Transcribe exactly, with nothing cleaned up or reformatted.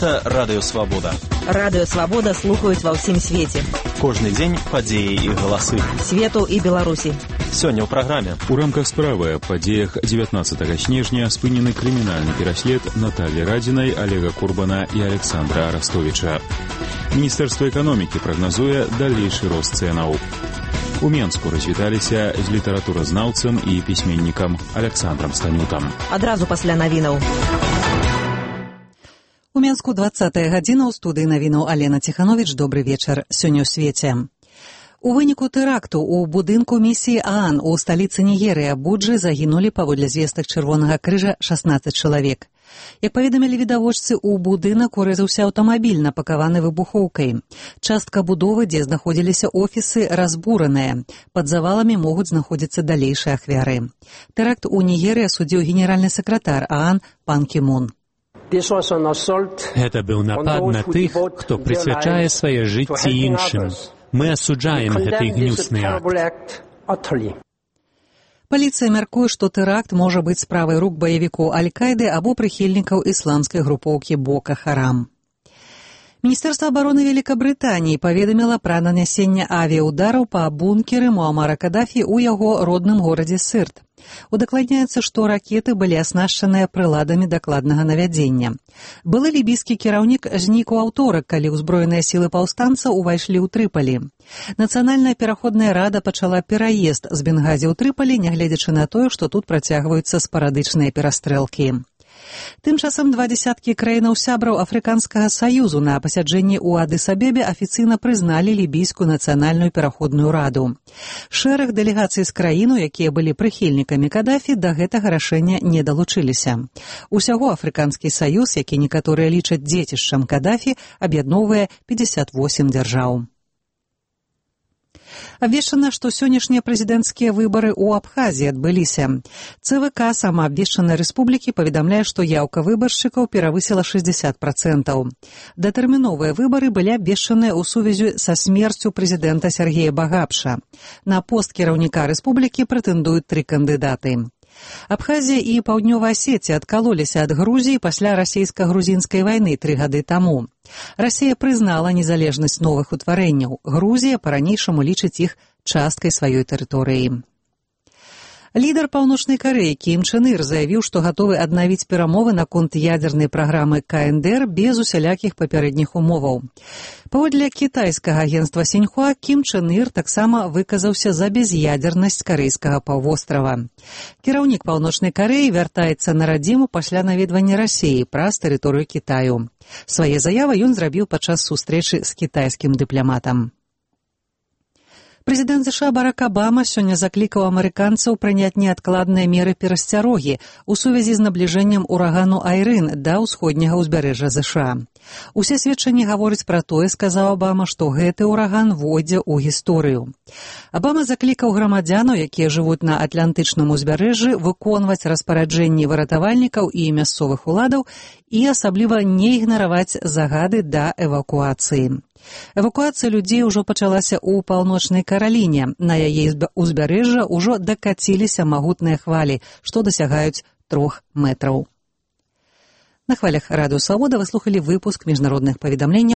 Гэта Радыё Свабода. Радыё Свабода слухаюць ва ўсім свеце. Кожны дзень падзеі і галасы. Свету і Беларусі. Сёння ў праграме. У рамках справы аб падзеях дзевятнаццатага снежня спынены крымінальны пераслед Натальі Радзінай, Олега Курбана і Александра Арастовіча. Міністэрства эканомікі прагназуе далейшы рост цэнаў. У Менску развіталіся з літаратуразнаўцам і пісьменнікам Александрам Станютам. Адразу пасля навінаў. У Менску дваццатая гадзіна, ў студыі навінаў Алена Ціхановіч. Добры вечар. Сёння ў свеце. У выніку тэракту ў будынку місіі ААН у сталіцы Нігерыі Абуджы загінулі, паводле звестак Чырвонага крыжа, шаснаццаць чалавек. Як паведамілі відавочцы, у будынак урэзаўся аўтамабіль, напакаваны выбухоўкай. Частка будовы, дзе знаходзіліся офісы, разбураная. Пад заваламі могуць знаходзіцца далейшыя ахвяры. Тэракт у Нігерыі асудзіў генеральны сакратар ААН пан Кі Мун. Гэта быў напад на тых, хто прысвячае свае жыцці іншым. Мы асуджаем гэты гнюсны акт. Паліцыя мяркуе, што тэракт можа быць справай рук баевікоў Аль-Кайды або прыхільнікаў ісламскай групоўкі Бока Харам. Міністэрства абароны Великабрытаніі паведаміла пра нанясенне авіяудараў па бункеры Муамара Кадафі ў яго родным горадзе Сырт. Удакладняецца, што ракеты былі аснашчаныя прыладамі дакладнага навядзення. Былы лібійскі кіраўнік знік у аўторак, калі ўзброеныя сілы паўстанцаў увайшлі ў Трыпалі. Нацыянальная пераходная рада пачала пераезд з Бенгазі ў Трыпалі, нягледзячы на тое, што тут працягваюцца спарадычныя перастрэлкі. Тым часам два дзесяткі краінаў-сябраў Афрыканскага саюзу на пасяджэнні ў Адыс-Абебе афіцыйна прызналі лібійскую нацыянальную пераходную раду. Шэраг дэлегацый з краіну, якія былі прыхільнікамі Кадафі, да гэтага рашэння не далучыліся. Усяго Афрыканскі саюз, які некаторыя лічаць дзецішчам Кадафі, аб'ядноўвае пятьдесят восемь дзяржаў. Абвешчана, што сённяшнія прэзідэнцкія выбары ў Абхазіі адбыліся. ЦВК самаабвешчанай рэспублікі паведамляе, што яўка выбаршчыкаў перавысіла шэсцьдзесят працэнтаў. Датэрміновыя выбары былі абвешчаныя ў сувязі са смерцю прэзідэнта Сергея Багапша. На пост кіраўніка рэспублікі прэтэндуюць тры кандыдаты. Абхазія і Паўднёвая Асетія адкалоліся ад Грузіі пасля расійска-грузінскай вайны тры гады таму. Расія прызнала незалежнасць новых утварэнняў. Грузія па-ранейшаму лічыць іх часткай сваёй тэрыторыі. Лідар Паўночнай Карэі Кім Чен Ір заявіў, што гатовы аднавіць перамовы наконт ядзернай праграмы ка эн дэ эр без усялякіх папярэдніх умоваў. Паводле кітайскага агенцтва Сіньхуа, Кім Чен Ір таксама выказаўся за без'ядзернасць карэйскага паўвострава. Кіраўнік Паўночнай Карэі вяртаецца на радзіму пасля наведвання Расіі праз тэрыторыю Кітаю. Свае заявы ён зрабіў падчас сустрэчы з кітайскім дыпламатам. Прэзідэнт ЗША Барак Абама сёння заклікаў амерыканцаў прыняць неадкладныя меры перасцярогі ў сувязі з набліжэннем урагану Айрын да ўсходняга ўзбярэжжа ЗША. Усе сведчанні гавораць пра тое, сказаў Абама, што гэты ўраган войдзе ў гісторыю. Абама заклікаў грамадзянаў, якія жывуць на атлантычным узбярэжжы, выконваць распараджэнні выратавальнікаў і мясцовых уладаў і асабліва не ігнараваць загады да эвакуацыі. Эвакуацыя людзей ужо пачалася ў Паўночнай Караліне. На яе ўзбярэжжа ўжо дакаціліся магутныя хвалі, што дасягаюць трох метраў. На хвалях Радыё Свабода вы слухалі выпуск міжнародных паведамленняў